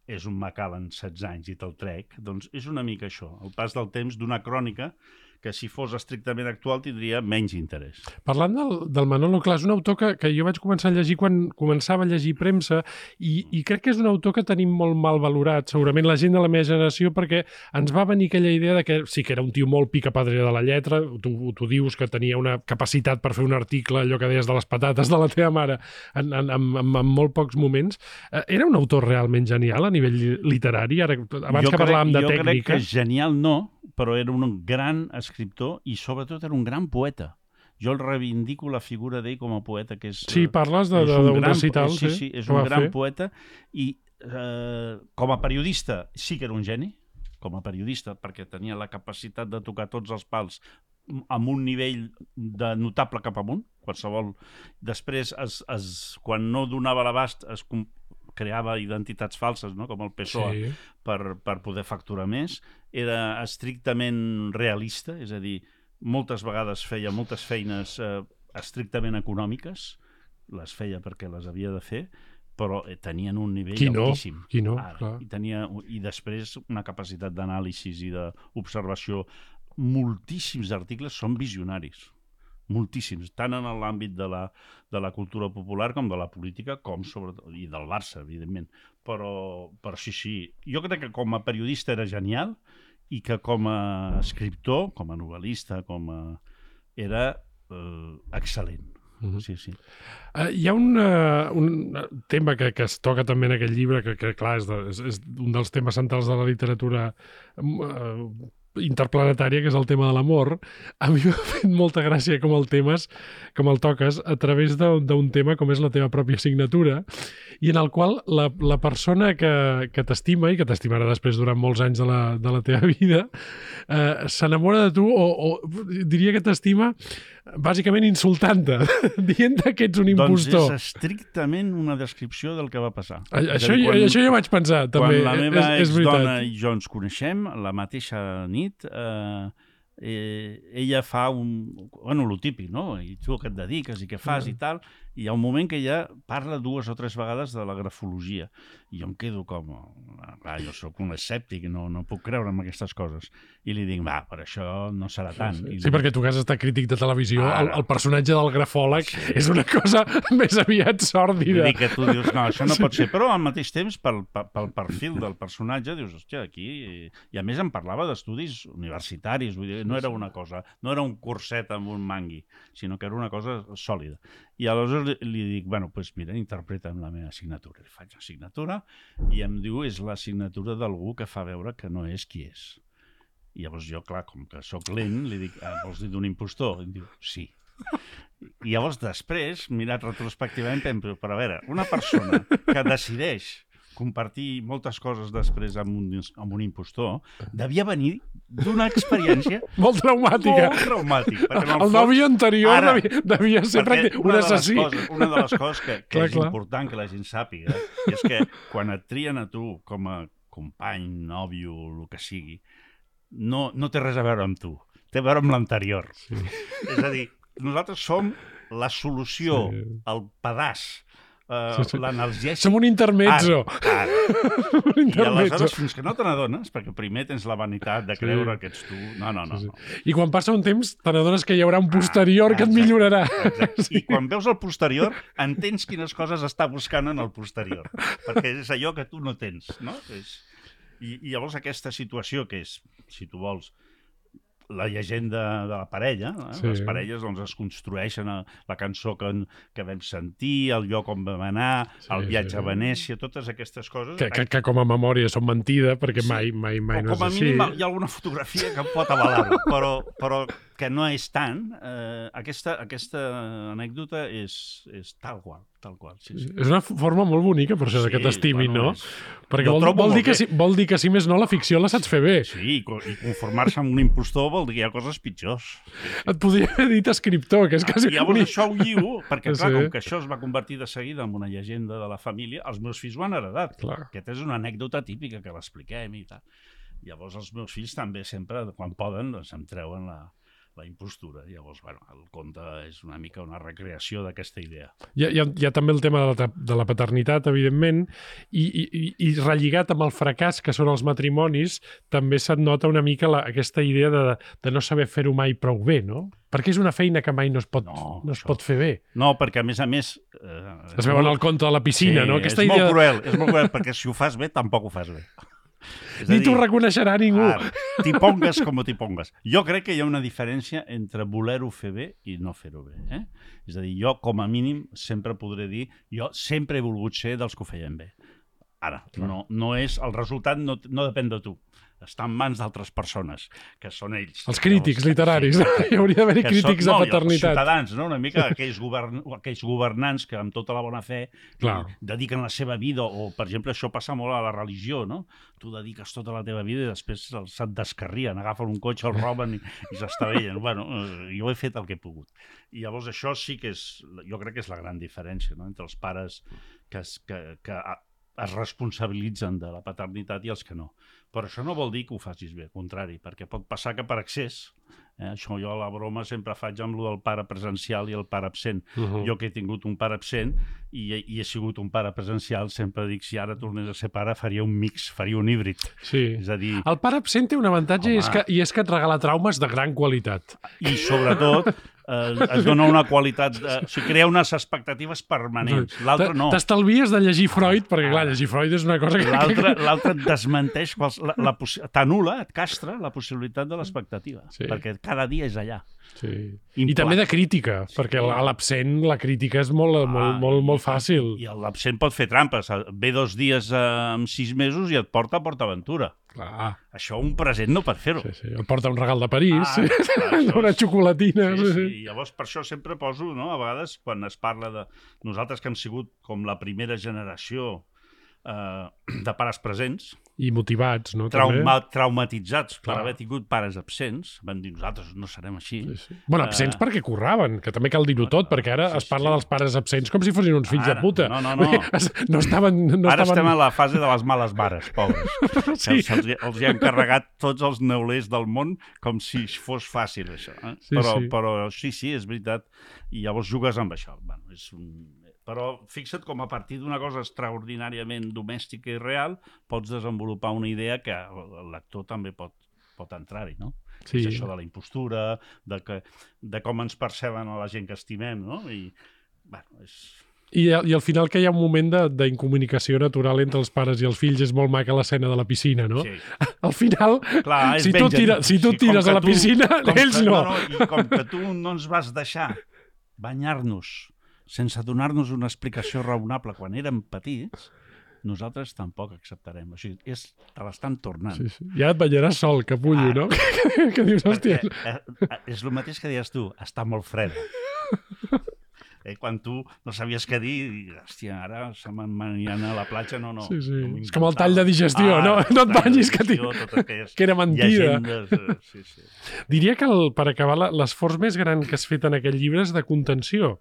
és un Macallan 16 anys i te'l trec, doncs és una mica això, el pas del temps d'una crònica que si fos estrictament actual tindria menys interès. Parlant del Manolo, clar, és un autor que jo vaig començar a llegir quan començava a llegir premsa i crec que és un autor que tenim molt mal valorat, segurament la gent de la meva generació, perquè ens va venir aquella idea de que sí que era un tio molt picapadre de la lletra, tu dius que tenia una capacitat per fer un article, allò que deies de les patates de la teva mare, en molt pocs moments. Era un autor realment genial a nivell literari? Abans que parlàvem de tècnica... Jo crec que genial no, però era un gran escriptor i sobretot era un gran poeta. Jo el reivindico la figura d'ell com a poeta, que és... Sí, parles d'un recital, sí, és un gran poeta, i com a periodista sí que era un geni, com a periodista, perquè tenia la capacitat de tocar tots els pals amb un nivell de notable cap amunt, qualsevol... Després, quan no donava l'abast, es creava identitats falses, no? Com el PSOE, per poder facturar més. Era estrictament realista, és a dir, moltes vegades feia moltes feines estrictament econòmiques, les feia perquè les havia de fer, però tenien un nivell altíssim. Qui no, clar. I després una capacitat d'anàlisi i d'observació. Moltíssims articles són visionaris, moltíssims, tant en l'àmbit de la cultura popular com de la política, com sobretot, i del Barça, evidentment. Però sí, jo crec que com a periodista era genial i que com a escriptor, com a novel·lista, era excel·lent. Sí. Hi ha un tema que es toca també en aquest llibre, que clar, és un dels temes centrals de la literatura interplanetària, que és el tema de l'amor. A mi m'ha fet molta gràcia com el toques a través d'un tema com és la teva pròpia signatura, i en el qual la persona que t'estima i que t'estimarà després durant molts anys de la teva vida s'enamora de tu, o diria que t'estima bàsicament insultant-te, dient-te que ets un impostor. Doncs és estrictament una descripció del que va passar. Això jo vaig pensar, també. Quan la meva exdona i jo ens coneixem, la mateixa nit, ella fa lo típic, no? I tu què et dediques i què fas i tal, i hi ha un moment que ella parla 2 o 3 vegades de la grafologia, i jo em quedo com... Clar, jo soc un escèptic, no puc creure en aquestes coses. I li dic, per això no serà tant. Sí, perquè tu que has estat crític de televisió, el personatge del grafòleg és una cosa més aviat sòrdida. Vull dir que tu dius, no, això no pot ser, però al mateix temps, pel perfil del personatge, dius, hòstia, aquí... I a més em parlava d'estudis universitaris, vull dir, no era una cosa, no era un curset amb un mangui, sinó que era una cosa sòlida. I aleshores li dic, doncs mira, interpreta'm la meva signatura. Li faig la signatura i em diu, és la signatura d'algú que fa veure que no és qui és. I llavors jo, clar, com que sóc lent, li dic, vols dir d'un impostor? I em diu, sí. I llavors després, mirat retrospectivament, penso, però a veure, una persona que decideix compartir moltes coses després amb un impostor, devia venir d'una experiència molt traumàtica. El nòvio anterior devia ser un assassí. Una de les coses que és important que la gent sàpiga és que quan et trien a tu com a company, nòvio, el que sigui, no té res a veure amb tu, té a veure amb l'anterior. És a dir, nosaltres som la solució, el pedaç, l'analgèsic... Som un intermezzo. I aleshores, fins que no te n'adones, perquè primer tens la vanitat de creure que ets tu... No. I quan passa un temps, te n'adones que hi haurà un posterior que et millorarà. I quan veus el posterior, entens quines coses està buscant en el posterior, perquè és allò que tu no tens, no? I llavors aquesta situació que és, si tu vols, la llegenda de la parella, les parelles es construeixen la cançó que vam sentir, el lloc on vam anar, el viatge a Venècia, totes aquestes coses... Que com a memòria són mentida, perquè mai no és així. Com a mínim hi ha alguna fotografia que pot avalar-ho, però que no és tant. Aquesta anècdota és tal qual. És una forma molt bonica, per això, que t'estimin, no? Perquè vol dir que, si més no, la ficció la saps fer bé. Sí, i conformar-se amb un impostor vol dir que hi ha coses pitjors. Et podria haver dit escriptor, que és quasi... I llavors això ho lligo, perquè clar, com que això es va convertir de seguida en una llegenda de la família, els meus fills ho han heredat. Aquesta és una anècdota típica que l'expliquem i tal. Llavors els meus fills també sempre, quan poden, em treuen la impostura. Llavors, el conte és una mica una recreació d'aquesta idea. Hi ha també el tema de la paternitat, evidentment, i relligat amb el fracàs que són els matrimonis, també se't nota una mica aquesta idea de no saber fer-ho mai prou bé, no? Perquè és una feina que mai no es pot fer bé. No, perquè a més... Es veu en el conte de la piscina, no? És molt cruel, perquè si ho fas bé, tampoc ho fas bé. Ni t'ho reconeixerà ningú. T'hi pongues com t'hi pongues. Jo crec que hi ha una diferència entre voler-ho fer bé i no fer-ho bé. És a dir, jo com a mínim sempre podré dir, jo sempre he volgut ser dels que ho feien bé. Ara, no és... El resultat no depèn de tu. Està en mans d'altres persones, que són ells. Els crítics literaris. Hi hauria d'haver crítics de paternitat. Els ciutadans, no? Una mica aquells governants que amb tota la bona fe dediquen la seva vida, o, per exemple, això passa molt a la religió, no? Tu dediques tota la teva vida i després se't descarrien, agafen un cotxe, el roben i s'estavellen. Bueno, jo he fet el que he pogut. I llavors això sí que és... Jo crec que és la gran diferència, no?, entre els pares que es responsabilitzen de la paternitat i els que no. Però això no vol dir que ho facis bé, al contrari, perquè pot passar que per excés, això jo a la broma sempre faig amb el del pare presencial i el pare absent. Jo que he tingut un pare absent i he sigut un pare presencial, sempre dic, si ara tornés a ser pare, faria un mix, faria un híbrid. Sí. És a dir... El pare absent té un avantatge i és que et regala traumes de gran qualitat. I sobretot es dona una qualitat... O sigui, crea unes expectatives permanents. L'altre no. T'estalvies de llegir Freud, perquè clar, llegir Freud és una cosa que... L'altre et desmenteix, t'anul·la, et castra la possibilitat de l'expectativa, perquè cada dia és allà. Sí. I també de crítica, perquè a l'absent la crítica és molt fàcil. I l'absent pot fer trampes. Ve 2 dies en 6 mesos i et porta a PortAventura. Clar. Això un present no pot fer-ho. Sí. Et porta un regal de París, una xocolatina. Sí. Llavors, per això sempre poso, no?, a vegades, quan es parla de nosaltres que hem sigut com la primera generació de pares presents i motivats, no? Traumatitzats per haver tingut pares absents, van dir nosaltres no serem així. Bueno, absents perquè curraven, que també cal dir-ho tot, perquè ara es parla dels pares absents com si fossin uns fills de puta. No. Ara estem a la fase de les males mares, pobres. Els hi han carregat tots els neulers del món com si fos fàcil, això. Però sí, és veritat. I llavors jugues amb això. Però fixa't com a partir d'una cosa extraordinàriament domèstica i real pots desenvolupar una idea que el lector també pot entrar-hi, no? Sí. És això de la impostura, de com ens perceben a la gent que estimem, no? I al final que hi ha un moment d'incomunicació natural entre els pares i els fills, és molt maca l'escena de la piscina, no? Sí. Al final, clar, si tu tires a la piscina, ells no. I com que tu no ens vas deixar banyar-nos sense donar-nos una explicació raonable quan érem petits, nosaltres tampoc acceptarem. O sigui, te l'estan tornant. Sí. Ja et banyaràs sol, capullo, no? Que dius, hòstia... És el mateix que deies tu, està molt fred. Quan tu no sabies què dir, hòstia, ara se m'aniran a la platja, no. Sí. És com el tall de digestió, no? No et banyis, que era mentida. Sí. Diria que, per acabar, l'esforç més gran que has fet en aquest llibre és de contenció,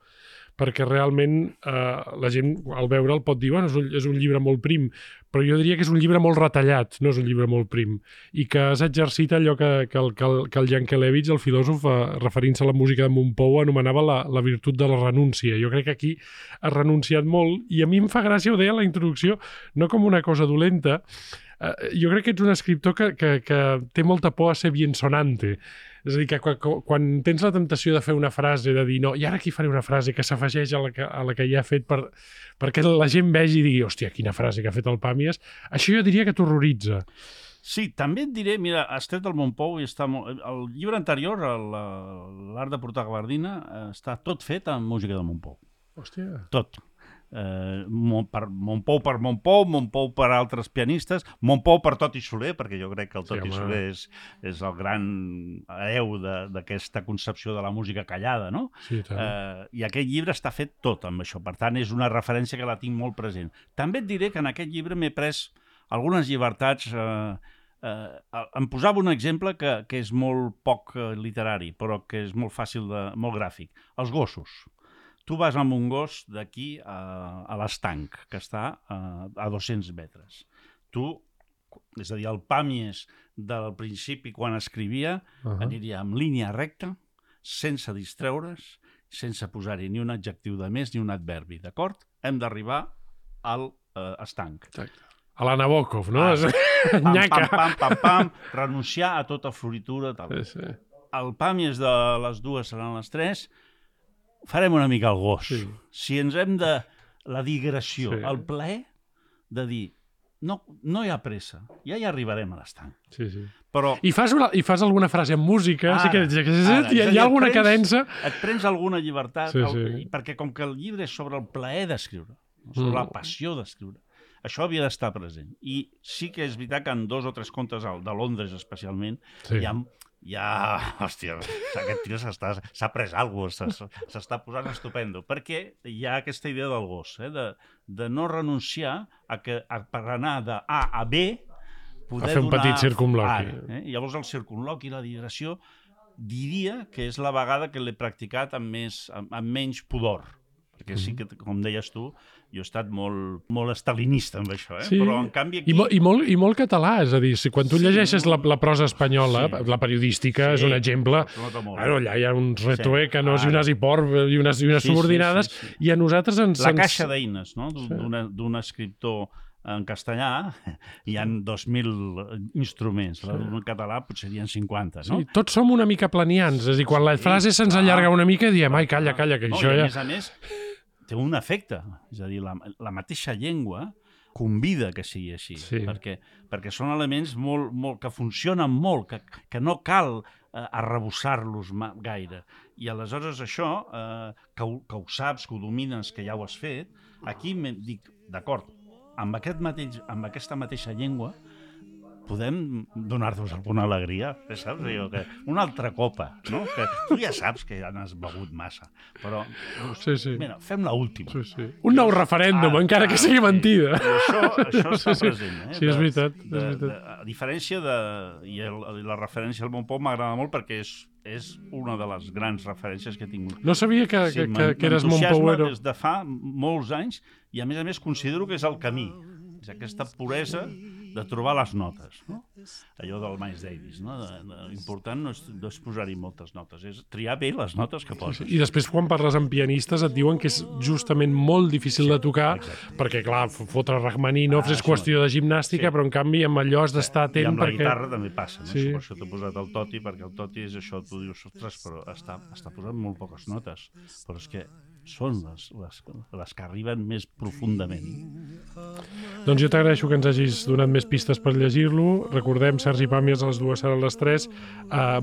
perquè realment la gent al veure'l pot dir, bueno, és un llibre molt prim, però jo diria que és un llibre molt retallat, no és un llibre molt prim, i que has exercit allò que el Yankelevich, el filòsof, referint-se a la música de Montpou, anomenava la virtut de la renúncia. Jo crec que aquí has renunciat molt, i a mi em fa gràcia, ho deia a la introducció, no com una cosa dolenta. Jo crec que ets un escriptor que té molta por a ser biensonante. És a dir, que quan tens la temptació de fer una frase, de dir, no, i ara aquí faré una frase que s'afegeix a la que ja ha fet perquè la gent vegi i digui, hòstia, quina frase que ha fet el Pàmies, això jo diria que t'horroritza. Sí, també et diré, mira, has tret el Montpou i està el llibre anterior, l'Art de portar gabardina, està tot fet amb música de Montpou. Hòstia. Tot. Montpou per Montpou, Montpou per altres pianistes, Montpou per Toti Soler, perquè jo crec que el Toti Soler és el gran hereu d'aquesta concepció de la música callada, no? Sí, i aquest llibre està fet tot amb això, per tant és una referència que la tinc molt present. També et diré que en aquest llibre m'he pres algunes llibertats. Em posava un exemple que és molt poc literari, però que és molt fàcil, molt gràfic. Els gossos. Tu vas amb un gos d'aquí a l'Estanc, que està a 200 metres. És a dir, el Pàmies del principi, quan escrivia, aniria en línia recta, sense distreure's, sense posar-hi ni un adjectiu de més ni un adverbi, d'acord? Hem d'arribar al estanc. A la Nabokov, no? Pam, renunciar a tota floritura. El Pàmies de les 2 seran les 3, farem una mica el gos. Sí. Si ens hem de... La digressió, el plaer de dir no hi ha pressa, ja hi arribarem a l'estanc. Sí. Però... I fas alguna frase en música, hi ha alguna cadença... Et prens alguna llibertat, perquè com que el llibre és sobre el plaer d'escriure, sobre la passió d'escriure, això havia d'estar present. I sí que és veritat que en 2 o 3 contes, de Londres especialment, hòstia, aquest tio s'ha pres alguna cosa, s'està posant estupendo, perquè hi ha aquesta idea del gos, de no renunciar a que per anar de A a B poder fer un petit circumloqui. Llavors el circumloqui, la digressió, diria que és la vegada que l'he practicat amb menys pudor. Perquè sí que, com deies tu, jo he estat molt estalinista amb això, Sí. Però en canvi aquí... I molt català, és a dir, si quan tu llegeixes la prosa espanyola, la periodística és un exemple, allà hi ha uns retuécanos i unes hipor i unes subordinades, i a nosaltres ens... La caixa d'eines, no?, d'un escriptor en castellà hi ha 2.000 instruments, en català potser hi ha 50, no? Sí, tots som una mica planians, és a dir, quan la frase se'ns allarga una mica diem, ai, calla, que això ja... A més, té un efecte, és a dir, la mateixa llengua convida que sigui així, perquè són elements que funcionen molt, que no cal arrebossar-los gaire. I aleshores això, que ho saps, que ho domines, que ja ho has fet, aquí dic, d'acord, amb aquesta mateixa llengua podem donar-nos alguna alegria, saps? Una altra copa, no? Que tu ja saps que ja n'has begut massa, però mira, fem l'última. Un nou referèndum, encara que sigui mentida. Això està present. Sí, és veritat. A diferència i la referència al Bon Pont m'agrada molt perquè és una de les grans referències que he tingut. No sabia que eres Montpouero. Des de fa molts anys i a més considero que és el camí. És aquesta puresa de trobar les notes, no? Allò del Miles Davis, no? L'important no és posar-hi moltes notes, és triar bé les notes que poses. I després quan parles amb pianistes et diuen que és justament molt difícil de tocar, perquè clar, fotre Rachmaninoff és qüestió de gimnàstica, però en canvi amb allò has d'estar atent. I amb la guitarra també passa, no? Per això t'he posat el Toti, perquè el Toti és això, tu dius, ostres, però està posant molt poques notes, però és que són les que arriben més profundament. Doncs jo t'agraeixo que ens hagis donat més pistes per llegir-lo. Recordem, Sergi Pàmies, a les 2 seran les 3.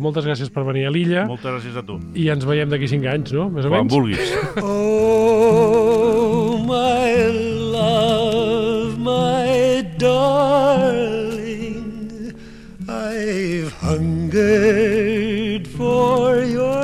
Moltes gràcies per venir a l'illa. Moltes gràcies a tu. I ens veiem d'aquí 5 anys, no? Més o menys? Quan vulguis. Oh, my love, my darling, I've hungered for your